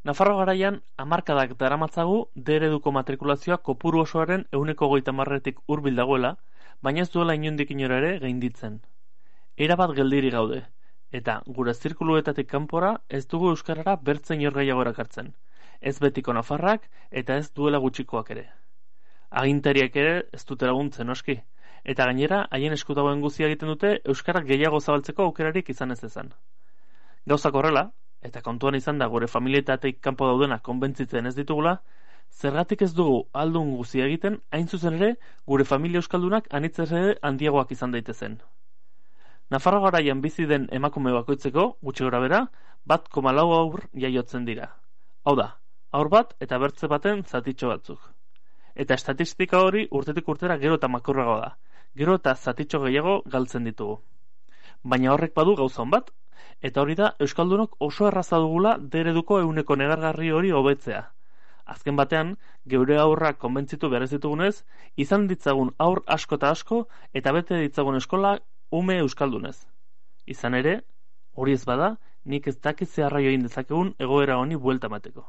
Nafarro garaian, hamarkadak daramatzagu D ereduko matrikulazioa kopuru osoaren 130tik hurbil dagoela, baina ez duela inondik inora ere gainditzen. Erabat geldiri gaude, eta gure zirkuluetatik kanpora ez dugu euskarara bertzen inor gehiago erakartzen, ez betiko nafarrak eta ez duela gutxikoak ere. Agintariak ere ez dute laguntzen noski, eta gainera haien esku dagoen guztia egiten dute euskarak gehiago zabaltzeko aukerarik izan ez ezan. Gauzak horrela, eta kontuan izan da gure familietatik kanpo daudena konbentzitzen ez ditugula, zergatik ez dugu aldun guzia egiten, hain zuzen ere, gure familia euskaldunak anitzez ere handiagoak izan daitezen. Nafarro garaian bizi den emakume bakoitzeko, gutxi gorabehera, 1,4 haur jaiotzen dira. Hau da, haur bat eta bertze baten zatitxo batzuk. Eta estatistika hori urtetik urtera gero eta makurragoa da, gero eta zatitxo gehiago galtzen ditugu. Baina horrek badu gauza on bat, eta hori da euskaldunok oso erraza dugula D ereduko ehuneko negargarri hori hobetzea. Azken batean, geure aurrak konbentzitu behar ez ditugunez, izan ditzagun aur asko eta asko, eta bete ditzagun eskola ume euskaldunez. Izan ere, hori ez bada, nik ez dakit zeharra join dezakegun egoera honi buelta emateko.